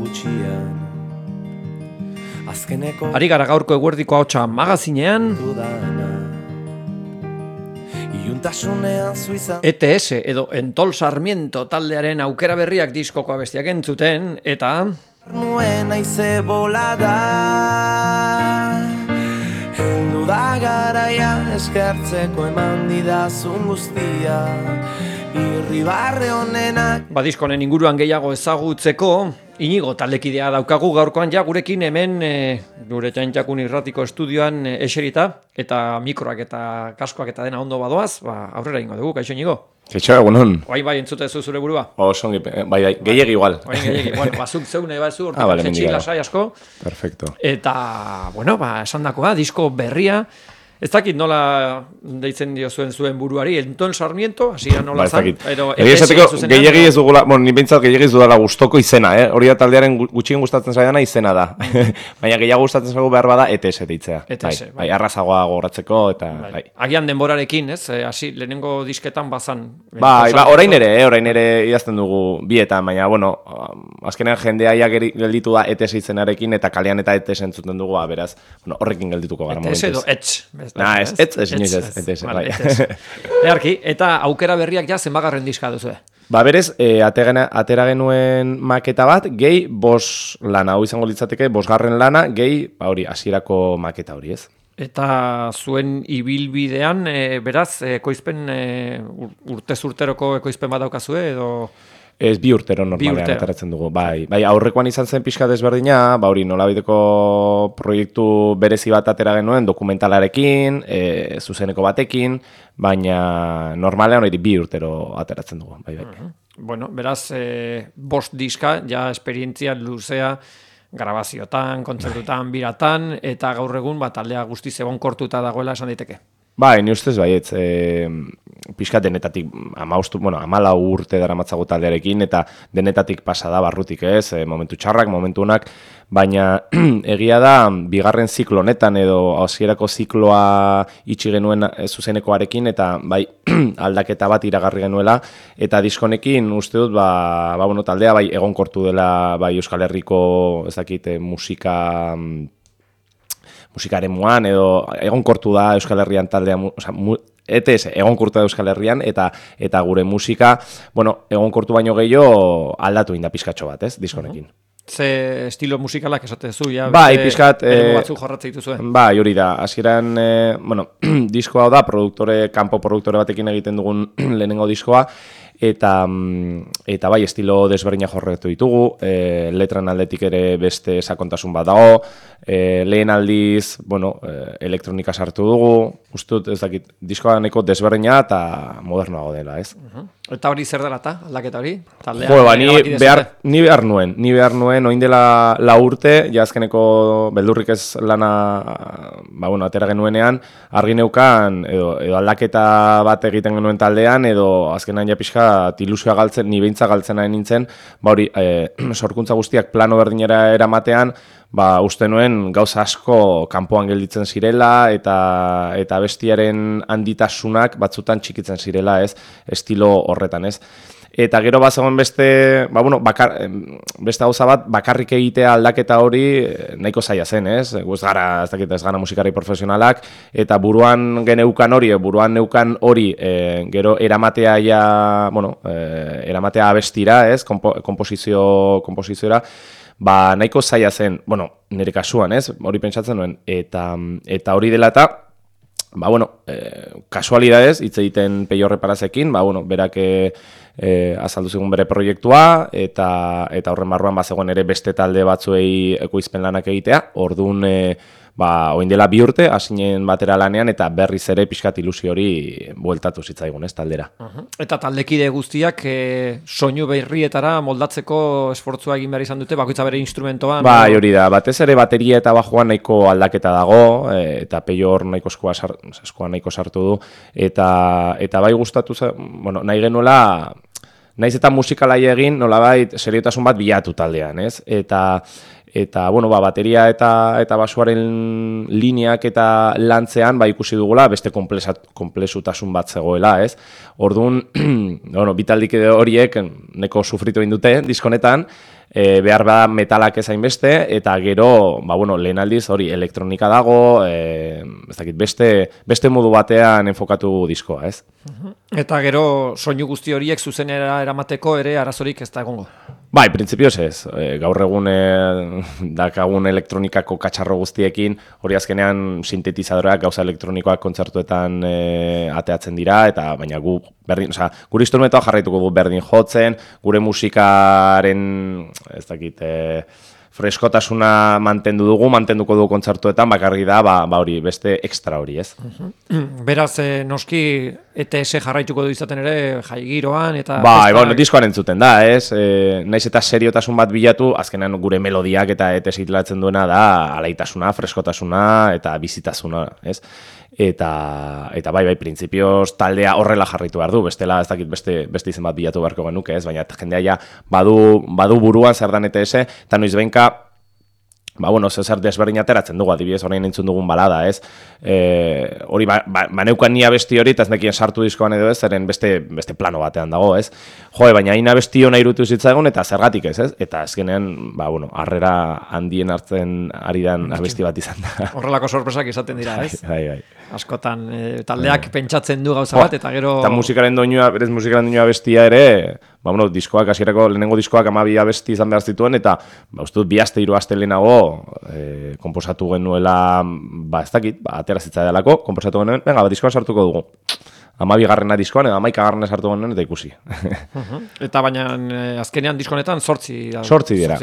gutxian. Azkeneko Ari gara gaurko eguerdiko ahotsa magazinean, dudana iuntasunean zuizan ETS edo Entol Sarmiento taldearen aukera berriak diskoko abestiak entzuten, eta nuen aize bolada heldu da garaia eskertzeko eman didazun guztia irribarre honenak diskonen inguruan gehiago ezagutzeko, Inigo taldekidea daukagu gaurkoan ja gurekin hemen gure Txantxakun irratiko estudioan eserita, eta mikroak eta kaskoak eta dena ondo badoaz, aurrera ingo dugu, kaixo Inigo? Kaixo, egunon. Bai, entzutezu zure burua? Songi, bai, gehiegi igual. Gehiegi, bueno, zuk zeune bazu, vale, jetxi lasai asko. Perfecto. Eta, bueno, esan dakoa, disko berria, ez dakit nola deitzen diozuen zuen buruari, Entol Sarmiento, hasieran nola zan? Gehiegi ez dugula, ni behintzat gehiegi ez dudala gustoko izena, hori da taldearen gutxien gustatzen zaidana izena da. Baina gehiago gustatzen zaigu behar bada ETS deitzea. ETS, bai, arrazagoa gogoratzeko eta bai. Agian denborarekin, ez? Hasi lehenengo disketan bazan. Bai, orain ere idazten dugu bietan, baina bueno, azkenean jendea ia gelditu da ETS izenarekin eta kalean eta ETS entzuten dugu, beraz, bueno, horrekin geldituko gara momentuz. ETS edo etx. Ez, bai. Earki, eta aukera berriak ja zenbagarren diska duzu. Berez, atera genuen maketa bat, gehi 5 lana, hau izango litzateke, 5. lana, gehi, hori, hasierako maketa hori, ez? Eta zuen ibilbidean, beraz, ekoizpen, urtez urteroko ekoizpen bat daukazue, edo... Ez 2 urtero normalean ateratzen dugu. Bai, aurrekoan izan zen pixka desberdina, hori nolabideko proiektu berezi bat atera genuen, dokumentalarekin, zuzeneko batekin, baina normalean hori 2 urtero ateratzen dugu. Bai. Bueno, beraz, 5 diska, ja esperientzia luzea, grabaziotan, kontzertutan, biratan, eta gaur egun taldea guztiz egonkortuta dagoela esan daiteke. Bai, ni ustez baietz, pixka denetatik 14 urte daramatzago taldearekin, eta denetatik pasa da barrutik ez, momentu txarrak, momentu onak, baina egia da, 2. ziklo honetan edo hasierako zikloa itxi genuen zuzenekoarekin, eta bai aldaketa bat iragarri genuela, eta diskonekin uste dut, taldea bai egonkortu dela bai Euskal Herriko, ez dakit, musikaren muan, edo egonkortu da Euskal Herrian taldea, ETS egonkortu da Euskal Herrian, eta gure musika, egonkortu baino gehiago aldatu inda pizkatxo bat, ez, diskonekin. Ze estilo musikalak esatezu, ja? Bai, pizkat... batzuk jorratzea dituzuen. Bai, hori da, hasieran, diskoa da, kanpo produktore batekin egiten dugun lehenengo diskoa, eta bai, estilo desberdina jorratu ditugu, letran aldetik ere beste sakontasun bat dago, lehen aldiz, elektronika sartu dugu, ustut, ez dakit, diskoa neko desberdina eta modernoago dela, ez? Eta hori zer dela eta, aldaketa hori? Ni behar nuen, oin dela 4 urte, azkeneko beldurrik ez lana, atera genuenean, argi neukan, edo aldaketa bat egiten genuen taldean, edo azkenan ja pixka ilusioa galtzen, ni behintza galtzen nahi nintzen, sorkuntza guztiak plano berdinera eramatean, uste nuen gauza asko kanpoan gelditzen zirela, eta bestiaren handitasunak batzutan txikitzen zirela, ez, estilo horretan, ez. Eta gero bazegoen beste gauza bat, bakarrik egitea aldaketa hori nahiko zaila zen, ez? Ez gara musikari profesionalak, eta buruan neukan hori, gero eramatea eramatea abestira, ez? Komposizioa, nahiko zaila zen, nire kasuan, ez? Hori pentsatzen nuen, eta hori dela eta, kasualidadez, hitz egiten Peio Reparazekin, berak azaldu zigun bere proiektua, eta horren barruan bazegoen ere beste talde batzuei ekoizpen lanak egitea, orduan oin dela 2 urte, hasinen batera lanean, eta berriz ere pixkat ilusio hori bueltatu zitzaigun, ez, taldera. Eta taldekide guztiak soinu berrietara moldatzeko esfortzua egin behar izan dute, bakoitza bere instrumentoan? Bai, hori da, batez ere bateria eta bajoan nahiko aldaketa dago, eta Peio hor nahiko sartu du, eta bai gustatu, nahi genuela, naiz eta musikalai egin, nolabait seriotasun bat bilatu taldean, ez? Eta bateria eta basuaren lineak eta lantzean ikusi dugula beste konplexutasun bat zegoela, ez? Orduan, bitaldik horiek neko sufritu egin dute diskonetan, behar bada metalak ezain beste, eta gero, lehen aldiz hori elektronika dago, ez dakit, beste modu batean enfokatu diskoa, ez? Eta gero soinu guzti horiek zuzenera eramateko ere arazorik ez da egongo? Bai, printzipioz ez. Gaur egun dakagun elektronikako katxarro guztiekin, hori azkenean sintetizadoreak gauza elektronikoak kontzertuetan ateatzen dira, eta baina gure instrumentoa jarraituko gu berdin jotzen, gure musikaren, ez dakit, freskotasuna mantenduko du kontzertuetan, bakarri da, hori, beste ekstra hori, ez? Beraz, noski, ETS jarraituko du izaten ere, jai giroan, eta... diskoan entzuten da, ez? Naiz eta seriotasun bat bilatu, azkenean gure melodiak eta ETS hitlatzen duena da, alaitasuna, freskotasuna eta bizitasuna, ez? Eta bai, printzipioz taldea horrela jarraitu behar du, bestela ez dakit beste izen bat bilatu beharko genuke, ez? Baina jendea ja badu buruan zer dan ETS, eta noiz behinka, zer desberdin ateratzen dugu, adibidez, orain entzun dugun balada, ez? Hori, neukan ni abesti hori, eta ez nekien sartu diskoan edo ez, zeren beste plano batean dago, ez? Baina hain abesti hona irutu zitzaigun, eta zergatik ez? Eta azkenean, harrera handien hartzen ari dan abesti bat izan da. Horrelako sorpresak izaten dira, ez? Bai. Askotan, taldeak pentsatzen du gauza bat, eta gero... Eta berez musikaren doinua bestia ere, diskoak, hasierako lehenengo diskoak 12 abesti izan behar zituen, eta uste dut 2 aste 3 aste lehenago konposatu genuela, ez dakit, atera zitzai delako, konposatu genuen, diskoan sartuko dugu. 12 diskoan, edo 11 sartu genuen, eta ikusi. Eta baina azkenean diskonetan 8 dira,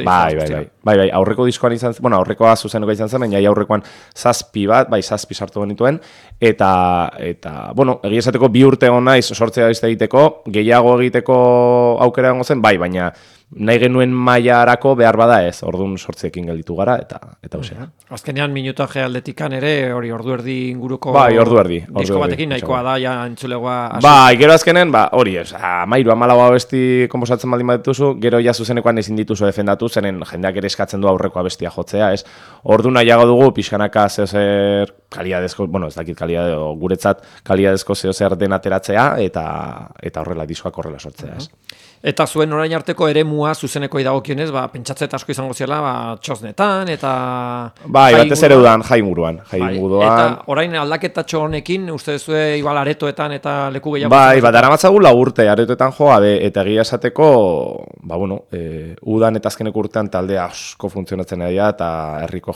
bai, aurreko diskoan izan zen, aurrekoa zuzenuka izan zen, baina aurrekoan 7 sartu genituen, eta egia esateko 2 urte egon naiz 8 abesti egiteko, gehiago egiteko aukera egongo zen, baina nahi genuen mailarako behar bada ez, orduan 8ekin gelditu gara, eta osea. Azkenean minutaje aldetikan ere, hori ordu erdi inguruko... Bai, ordu erdi. Disko batekin nahikoa da, ja entzulegoa... Bai, gero azkenen, hori, 13 abesti konposatzen baldin badituzu, gero ja zuzenekoan ezin dituzu defendatu, zenen jendeak ere eskatzen du aurreko abestia jotzea, ez? Ordu nahiago dugu, pixkanaka zeozer kalidadezko, ez dakit kalidadeo, guretzat kalidadezko zeozer den ateratzea, eta horrela, diskoak horrela sortzea, ez? Eta zuen orain arteko eremua zuzeneko idagokionez, pentsatzet asko izango zela, txosnetan, eta... Bai, batez ere udan, jai inguruan. Eta orain aldaketatxo honekin, uste zue igual aretoetan eta leku gehiago... Bai, daramatzagu 4 urte aretoetan joa, eta egia esateko, udan eta azkeneko urtean taldea asko funtzionatzen ari da, eta herriko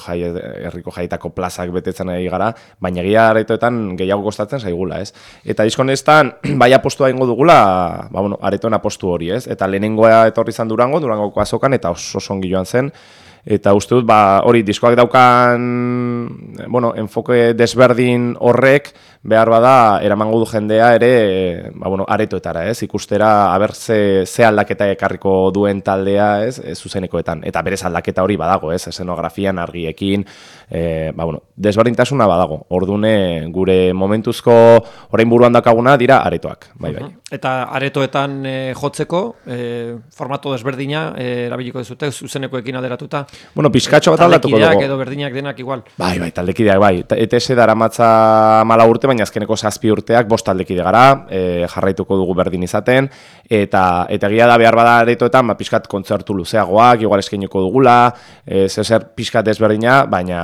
jaietako plazak betetzen ari gara, baina egia aretoetan gehiago kostatzen zaigula, ez? Eta diskonestan, bai apostua ingo dugula, aretoen apostu hori, eta lehenengoa etorri izan Durangoko azokan, eta oso ongi joan zen, eta uste dut, hori, diskoak daukan, enfoke desberdin horrek, behar bada, eramango du jendea ere, aretoetara, ez, ikustera, aber ze aldaketa ekarriko duen taldea, ez, zuzenekoetan, eta berez aldaketa hori badago, ez, esenografian, argiekin, desberdintasuna badago, ordune gure momentuzko orain buruan dakaguna dira aretoak, bai. Eta aretoetan jotzeko, formato desberdina, erabiliko dezute, zuzenekoekin aderatuta? Pizkatxo bat aldatuko dugu. Taldekideak edo berdinak denak igual. Bai, taldekideak, bai. ETS daramatza 4 urte, baina azkeneko 7 urteak 5 taldekide gara, jarraituko dugu berdin izaten, eta egia da behar bada aretoetan, pizkat kontzertu luzeagoak, igual eskainiko dugula, zer pizkat desberdina, baina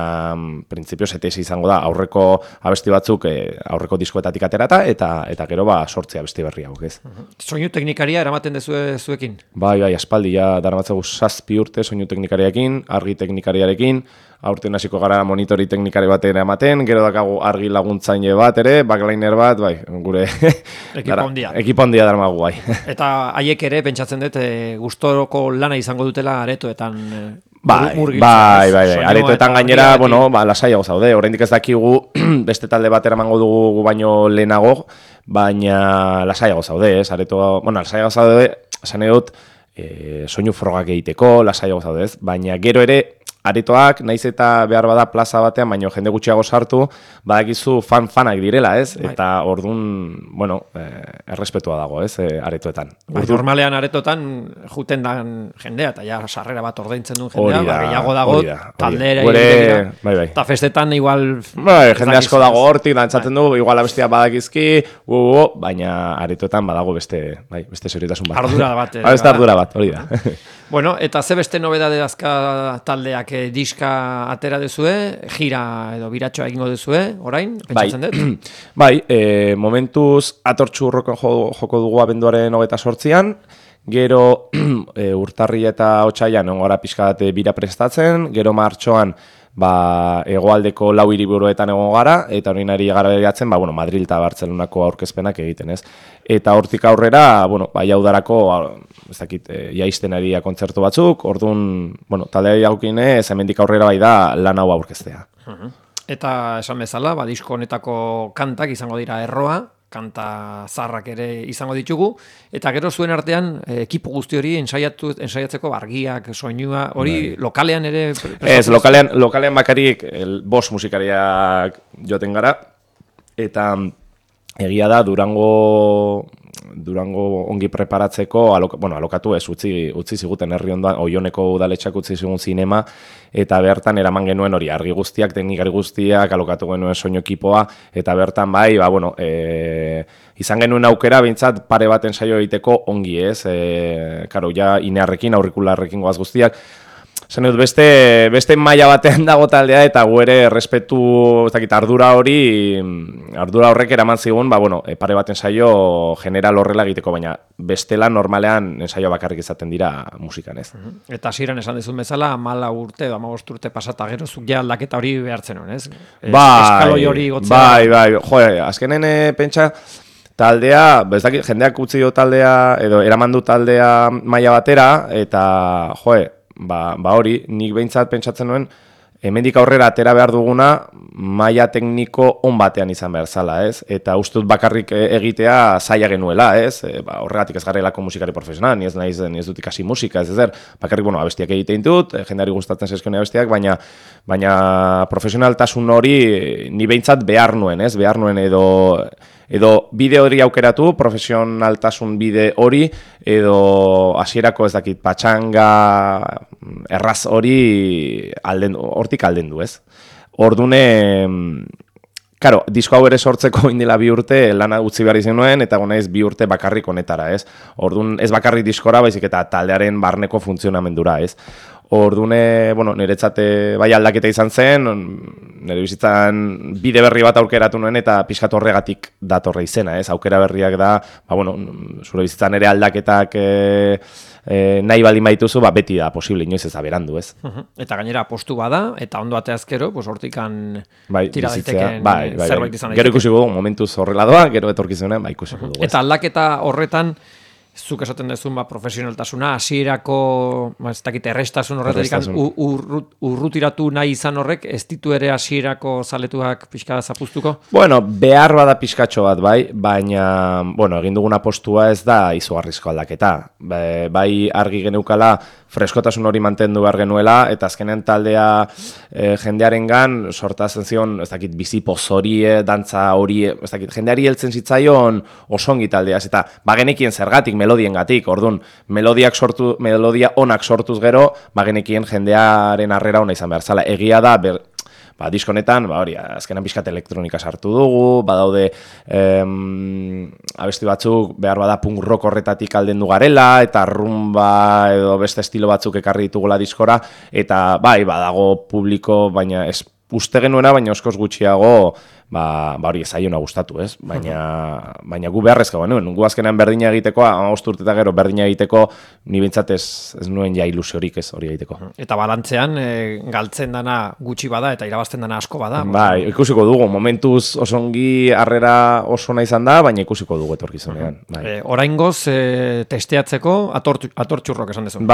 printzipioz ETS izango da, aurreko abesti batzuk, aurreko diskoetatik aterata, eta gero 8 abesti berri hauek, ez. Soinu teknikaria eramaten dezue zuekin? Bai, aspaldi, daramatzagu 7 urte soinu teknikariarekin, argi teknikariarekin, aurten hasiko gara monitori teknikari bat ere ematen, gero dakagu argi laguntzaile bat ere, backliner bat, bai, gure ekipo handia daramagu, bai. Eta haiek ere, pentsatzen dut, gustoroko lana izango dutela aretoetan Bai, aretoetan gainera, lasaiago zaude, oraindik ez dakigu beste talde bat eramango dugu baino lehenago, baina lasaiago zaude, ez, lasaiago zaude, esan edut, soinu frogak egiteko, lasaiago zaude, ez, baina gero ere, aretoak, naiz eta behar bada plaza batean, baino jende gutxiago sartu, badakizu fanak direla, ez? Eta orduan, errespetua dago, ez, aretoetan. Normalean aretotan juten dan jendea, eta ja sarrera bat ordaintzen duen jendea, gehiago dago taldera, eta festetan igual... Jende asko dago hortik, dantzatzen du, igual abestia badakizki, baina aretotan badago beste seriotasun bat. Ardura bat. Beste ardura bat, hori da. Bueno, eta ze beste nobedade dazka taldeak diska atera dezue, gira edo biratxoa egingo dezue, orain, pentsatzen dut? Bai, momentuz atortxurroko joko dugu abenduaren 28an, gero urtarri eta otsaian ongora pixka bat bira prestatzen, gero martxoan hegoaldeko 4 hiriburuetan egon gara, eta hori nari gara beriatzen, Madril eta Bartzelonako aurkezpenak egiten, ez? Eta hortik aurrera, jau darako, ez dakit, jaisten ari kontzertu batzuk, orduan, taldea jaukinez, hemendik aurrera bai da lan hau aurkeztea. Eta esan bezala, disko honetako kantak izango dira erroa, kanta zarrak ere izango ditugu, eta gero zuen artean ekipo guzti hori ensaiatzeko argiak, soinua, hori lokalean ere... Ez, lokalean bakarik 5 musikariak joten gara, eta egia da Durango ongi preparatzeko, alokatu ez, utzi ziguten herri ondoan, Oioneko udaletxak utzi zigun zinema, eta bertan eraman genuen hori argi guztiak, teknikari guztiak, alokatu genuen soinu ekipoa, eta bertan izan genuen aukera, bintzat pare bat ensaio egiteko ongi ez, karo, ja inearrekin, aurrikularrekin goaz guztiak, zen dut, beste maila batean dago taldea eta gu ere respetu, ez dakit, ardura horrek eraman zigun, pare bat ensaio general horrela egiteko, baina bestela normalean ensaio bakarrik izaten dira musikan, ez. Eta hasieran esan dizun bezala, 14 urte, 15 urte pasata gero zuk ja aldaketa hori behartzen hon, ez? Eskaloi hori gotzea. Bai, azkenen pentsa, taldea, ez dakit, jendeak utzi do taldea, edo eraman du taldea maila batera, eta, hori, nik behintzat pentsatzen nuen, hemendik aurrera atera behar duguna, maila tekniko on batean izan behar zala, ez? Eta uste dut bakarrik egitea zaila genuela, ez? Horregatik ez garelako musikari profesional, ni ez dut ikasi musika, ez ezer, bakarrik, abestiak egitein dut, jendeari gustatzen zezkone abestiak, baina profesionaltasun hori ni behintzat behar nuen, ez? Behar nuen edo bide hori aukeratu, profesionaltasun bide hori, edo hasierako ez dakit patxanga erraz hori hortik aldendu, ez? Ordune, karo, disko hau ere sortzeko indela 2 urte lana utzi behar izan nuen, eta gonaiz 2 urte bakarrik honetara, ez? Ordun ez bakarrik diskora, baizik eta taldearen barneko funtzionamendura, ez? Ordune, niretzat bai aldaketa izan zen, nire bizitzan bide berri bat aukeratu nuen eta pixkat horregatik datorre izena, ez? Aukera berriak da, zure bizitzan ere aldaketak nahi baldin baituzu, beti da posible, inoiz ez aberandu, ez? Eta gainera postu bada, eta ondo ateazkero, hortikan tira daiteken zerbait izan daiteke. Gero ikusiko dugu, momentuz horrela doa, gero etorkizunen, ikusiko dugu. Eta aldaketa horretan, zuk esaten dezun profesionaltasuna, hasierako ez dakit errestasun horretatik urrutiratu nahi izan horrek, ez ditu ere hasierako zaletuak pixka zapuztuko? Behar bada pixkatxo bat, baina, egin duguna postua ez da izugarrizko aldaketa. Bai argi geneukala freskotasun hori mantendu behar genuela, eta azkenean taldea jendearengan sortazen zion, ez dakit, bizipoz hori, dantza hori, ez dakit, jendeari heltzen zitzaion osongi taldeaz, eta bagenekien zergatik, melodiengatik, orduan, melodia onak sortuz gero, bagenekien jendearen harrera ona izan behar zala. Egia da, diskonetan, azkenan pixkat elektronika sartu dugu, badaude abesti batzuk behar bada punk rock horretatik aldendu garela, eta rumba edo beste estilo batzuk ekarri ditugula diskora, eta badago publiko, baina ez uste genuena, baina oskoz gutxiago, hori ezaiona gustatu, ez? Baina gu beharrezka genuen, gu azkenean berdina egiteko, 15 urte eta gero berdina egiteko, ni bintzat ez nuen ja ilusiorik ez hori egiteko. Eta balantzean, galtzen dana gutxi bada, eta irabazten dana asko bada. Ikusiko dugu, momentuz osongi harrera oso nahi izan da, baina ikusiko dugu etorkizunean. Oraingoz, testeatzeko, atortxurrok esan dezu.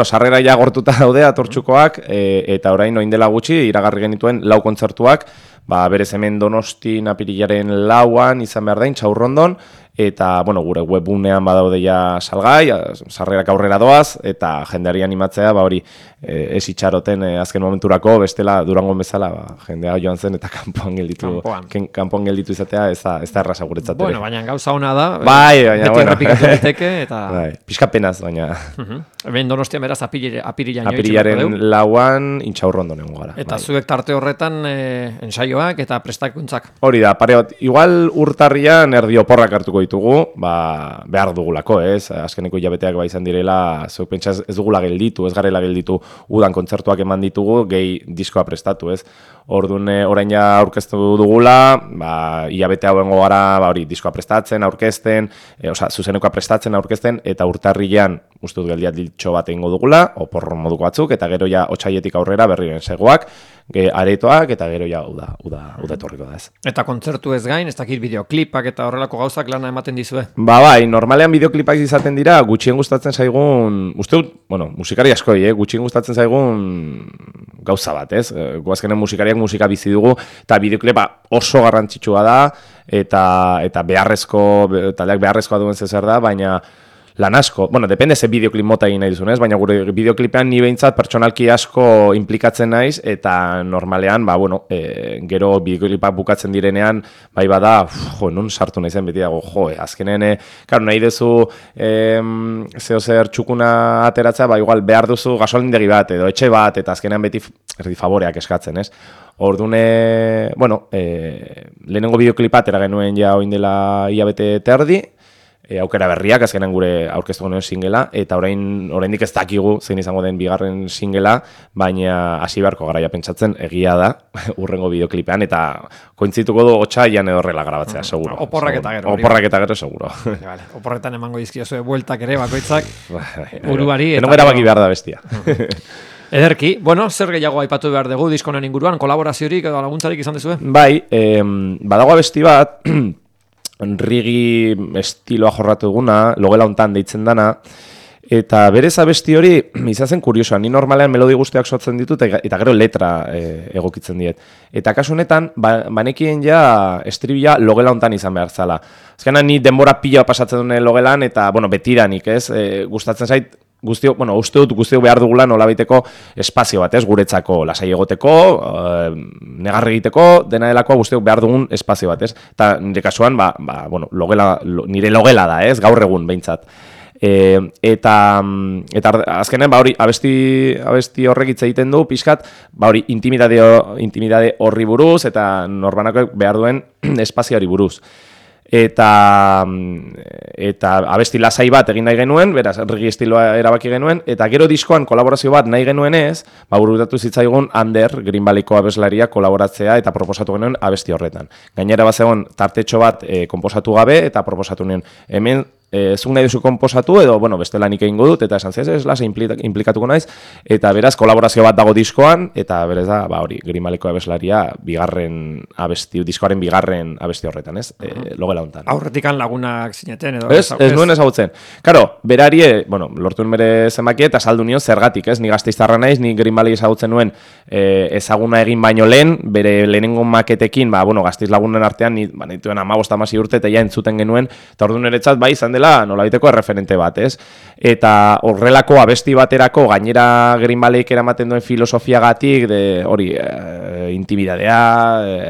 Sarrera ja gortuta daude atortxukoak, eta orain oindela gutxi, iragarri genituen 4 kontzertuak, berez hemen Donostin apirilaren 4an izan behar da, Intxaurrondon, eta, gure webgunean badaude ja salgai, sarrerak aurrera doaz, eta jendeari animatzea, hori, ez itxaroten azken momenturako, bestela Durangon bezala, jendea joan zen, eta kanpoan gelditu izatea, ez da erraza guretzat ere. Baina gauza hona da, beti errepikatu diteke, eta... Pixka penaz, baina... Hemen Donostian beraz apirilaren 4an Intxaurrondon egon gara. Eta zuek tarte horretan ensaioak eta prestakuntzak. Hori da, pare bat, igual urtarrian erdi oporrak hartuko bilduko ditugu, behar dugulako, ez? Azkeneko hilabeteak izan direla, zeuk pentsa ez dugula gelditu, ez garela gelditu udan kontzertuak eman ditugu, gehi diskoa prestatu, ez? Orduan orain ja aurkeztu dugula, hilabete hauengo gara hori diskoa prestatzen, aurkezten, zuzenekoa prestatzen, aurkezten, eta urtarrilean uste dut geldiat diltxo bat egingo dugula, opor moduko batzuk, eta gero ja otsaietik aurrera berriren segoak, aretoak, eta gero ja uda etorriko da ez. Eta kontzertu ez gain, ez dakit bideoklipak eta horrelako gauzak lana ematen dizue? Bai, normalean bideoklipak izaten dira, gutxien gustatzen zaigun, uste dut, musikari askoi, gutxien gustatzen zaigun gauza bat, ez? Guazkenen musikariak musika bizi dugu, eta bideoklipa oso garrantzitsua da, eta taldeak beharrezkoa duen zer da, baina lan asko, depende ze bideoklip mota egin nahi duzun, ez? Baina gure bideoklipean ni behintzat pertsonalki asko implikatzen naiz, eta normalean, gero bideoklipak bukatzen direnean, bai bada, non sartu nahi zen beti dago, azkenen, nahi duzu zer txukuna ateratzea, igual behar duzu gasolindegi bat, edo etxe bat, eta azkenean beti erdi favoreak eskatzen, ez? Orduan, lehenengo bideoklipat eragenuen ja oin dela hilabete terdi, aukera berriak, azkenan gure aurkeztu genuen singela, eta oraindik ez dakigu zein izango den bigarren singela, baina hasi beharko garaia pentsatzen egia da, urrengo bideoklipean, eta kointzituko du otsailean edo horrela grabatzea, seguro. Oporrak eta gero. Oporrak eta gero, seguro. Oporretan emango dizkiozue bueltak ere, bakoitzak, buruari. Denok erabaki behar da bestia. Ederki, zer gehiago aipatu behar dugu diskonen inguruan, kolaboraziorik edo laguntzarik izan dezue? Bai, badago abesti bat, rigi estiloa jorratu duguna, logela hontan deitzen dana, eta berez abesti hori izazen kuriosoa, ni normalean melodi guztiak sortzen ditut, eta gero letra egokitzen diet. Eta kasu honetan, banekien ja estribila logela hontan izan behar zala. Azkenan ni denbora pila pasatzen duen logelan, eta betiranik, ez, gustatzen zait, uste dut guztiok behar dugula nolabaiteko espazio bat, ez, guretzako lasai egoteko, negarre egiteko, dena delakoa guztiok behar dugun espazio bat, ez. Eta nire kasuan, nire logela da, ez, gaur egun behintzat. Eta azkenen, hori, abesti horrek hitz egiten du, pixkat, hori, intimidade horri buruz, eta norbanako behar duen espazioari buruz. Eta abesti lasai bat egin nahi genuen, beraz, rigi estiloa erabaki genuen, eta gero diskoan kolaborazio bat nahi genuenez, burutatu zitzaigun Ander, Green Valleyko abeslaria kolaboratzea eta proposatu genuen abesti horretan. Gainera bazegon tartetxo bat konposatu gabe, eta proposatu nuen hemen, zuk nahi duzu konposatu, edo, beste lanik egingo dut, eta esan ez lasa implikatuko naiz, eta beraz, kolaborazio bat dago diskoan, eta berez da, hori, Green Valleyko abeslaria diskoaren bigarren abesti horretan, ez? Logela hontan. Aurretikan lagunak zineten, edo? Ez nuen ezagutzen. Karo, berari, lortu bere zenbaki eta saldu nion zergatik, ez? Ni Gasteiztarra naiz, ni Green Valley ezagutzen nuen ezaguna egin baino lehen, bere lehenengo maketekin, Gasteiz lagunen artean, dituen 15-16 urte, eta ja entzuten genuen, eta orduan eretzat, zen nolabaiteko erreferente bat, ez? Eta horrelako abesti baterako gainera Green Valleyk eramaten duen filosofiagatik, hori, intimidadea,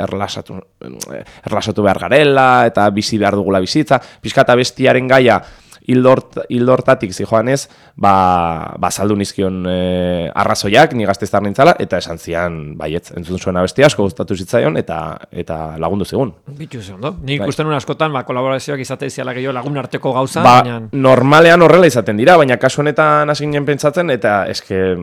erlasatu behar garela, eta bizi behar dugula bizitza, pixkat abestiaren gaia hildortatik zijoanez, saldu nizkion arrazoiak, ni Gasteiztar nintzala, eta esan zian, baietz, entzun zuen abesti asko gustatu zitzaion, eta lagundu zigun. Bitu ze ondo. Nik ikusten nuen askotan, kolaborazioak izate iziala gehiago lagun arteko gauza, baina... Normalean horrela izaten dira, baina kasu honetan hasi ginen pentsatzen, eta eske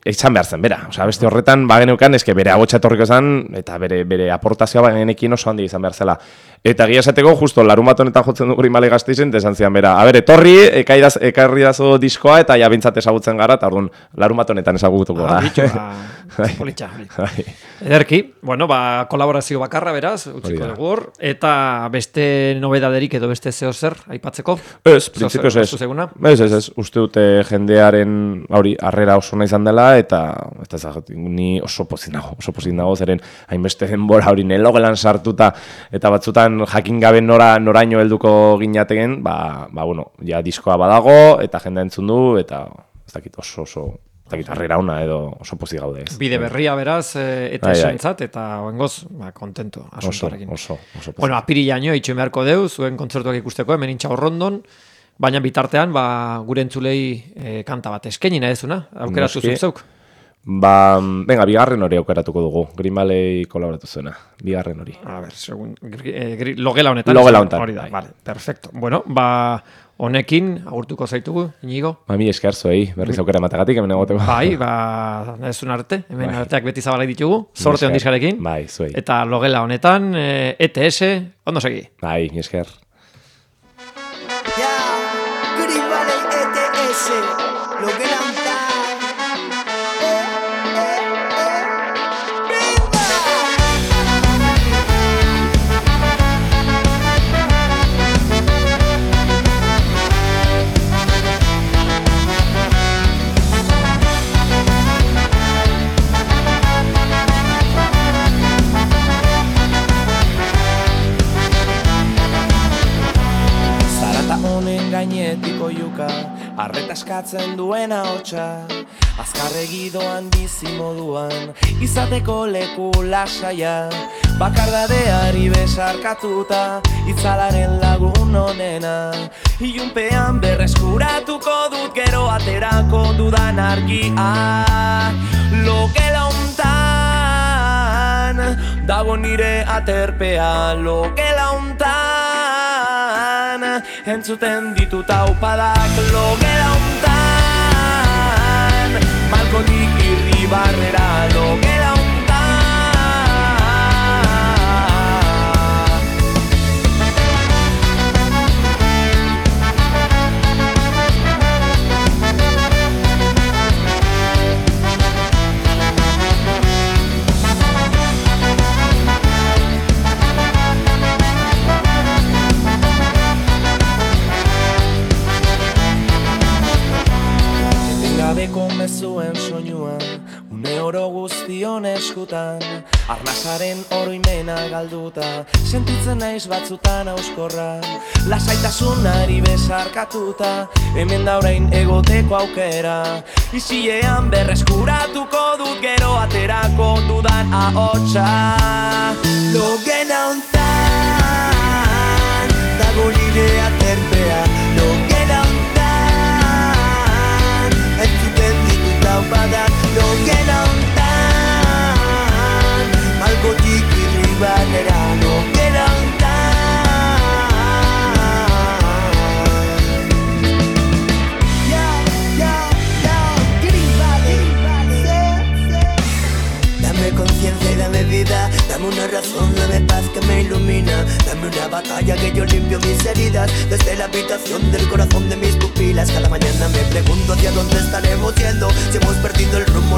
eitzan behar zen, bera. Osa, abesti horretan, bageneukan, bere agotxa etorriko zen, eta bere aportazioa bagenekin oso handi izan behar zela. Eta egia esateko, justo, larun bat honetan jotzen du Green Valley Gasteizen, eta esan zian, bera, etorri, ekarri dazo diskoa, eta ja bintzat ezagutzen gara, eta orduan, larun bat honetan ezagutuko da. Politxa. Ederki, kolaborazio bakarra beraz, utziko dugu hor, eta beste nobedaderik edo beste zeo zer, aipatzeko? Ez, prinsipioz ez. Ez, uste dute jendearen, harrera oso nahi izan dela, eta ni oso pozin dago, zeren hainbeste denbora hori nelogelan sartuta, eta batzutan jakin gabe noraino helduko ginateken, ja diskoa badago, eta jendea entzun du, eta ez dakit oso harrera ona edo oso pozik gaude ez. Bide berria beraz, eta esantzat, eta oengoz, kontento asuntoarekin. Oso. Apirilaino itxoen beharko deu, zuen kontzertuak ikusteko, hemen Intxaur Rondon, baina bitartean, gure entzulei kanta bat eskeni nahi ezuna, aukeratu zuzeuk. Venga, bigarren hori aukeratuko dugu. Green Valley kolaboratu zuena. Bigarren hori. A ver, logela honetan. Logela honetan. Hori da, vale, perfecto. Bueno, honekin agurtuko zaitugu, Inigo. Mi esker zuei, berriz aukera ematagatik, hemen egoteko. Bai, ez un arte, hemen arteak beti zabalai ditugu, sorte ondizkarekin. Bai, zuei. Eta logela honetan, ETS, ondo segi. Bai, mi esker. Green Valley ETS, logela honetan. Gainetiko juka, arreta eskatzen duena hotxa, azkarregi doan bizi moduan, izateko leku lasaia, bakardadeari besarkatuta, itzalaren lagun onena, ilunpean berreskuratuko dut gero aterako dudan argia, logela hontan, dago nire aterpea, logela hontan, entzuten ditut aupadak logela hontan, balkonik irribarrera logela hontan. Gabeko mezuen soinua, une oro guztion eskutan, arnasaren oroimena galduta, sentitzen naiz batzutan auskorra, lasaitasunari besarkatuta, hemen da orain egoteko aukera, isilean berreskuratuko dut gero aterako dudan ahotsa. Logela hontan, dago nire aterpea, logela hontan, entzuten ditut aupadak logela hontan, malkotik irribarrera logela hontan. Green Valley, dame conciencia y dame vida, dame una razón, dame paz que me ilumina, dame una batalla que yo limpio mis heridas, desde la habitación del corazón de mis pupilas. Cada mañana me pregunto hacia dónde estaremos yendo, si hemos perdido el rumbo